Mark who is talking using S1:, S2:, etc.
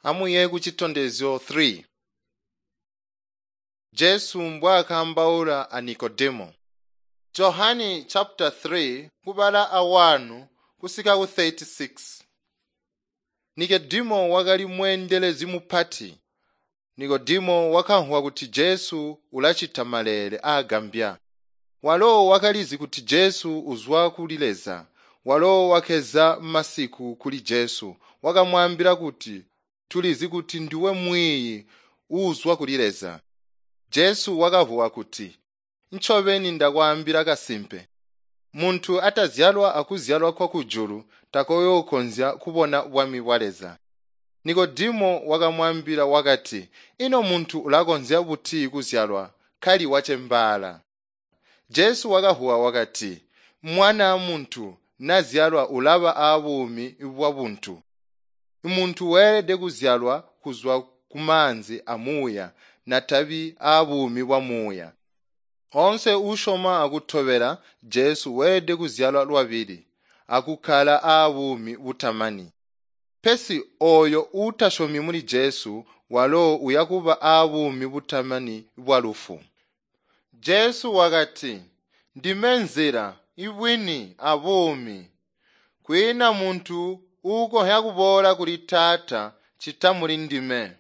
S1: Amwiiye kucitondezyo 3. Jesu mbwaakaambaula a Nikodemo. Johani chapter 3 kubala a 1 kusika ku 36. Nikodemo wakali mweendelezi mupati. Nikodemo wakamvwa kuti Jesu ulacita maleele aagambya. Walo wakalizi kuti Jesu uzwa kuli Leza. Walo wakeza masiku kuli Jesu wakamwaambila kuti, “Tulizi kuti ndiwe mwiiyi uuzwa kuli Leza.” Jesu wakavuwa kuti, “Ncobeni ndakwaambila kasimpe, muntu atazyalwa akuzyalwa kwa kujulu takooyookonzya kubona bwami bwa Leza.” Nikodemo wakamwaambila wakati, “Ino muntu ulakonzya buti kuzyalwa kali wacembaala?” Jesu wakavuwa wakati, “Mwana muntu nazyalwa ulaba aabuumi bwabuntu. Muntu weelede kuzyalwa kuzwa kumaanzi amuuya natabi aabuumi bwa muuya. Oonse uusyoma akutobela Jesu weelede kuzyalwa lwabili akukkala aabuumi butamani. Pesi ooyo uutasyomi muli Jesu walo uyakuba aabuumi butamani bwalufu. Jesu wakati, “Ndime nzila, ibwini abuumi. Kwiina muntu uukonzya kuboola kuli Taata ccita muli ndime.”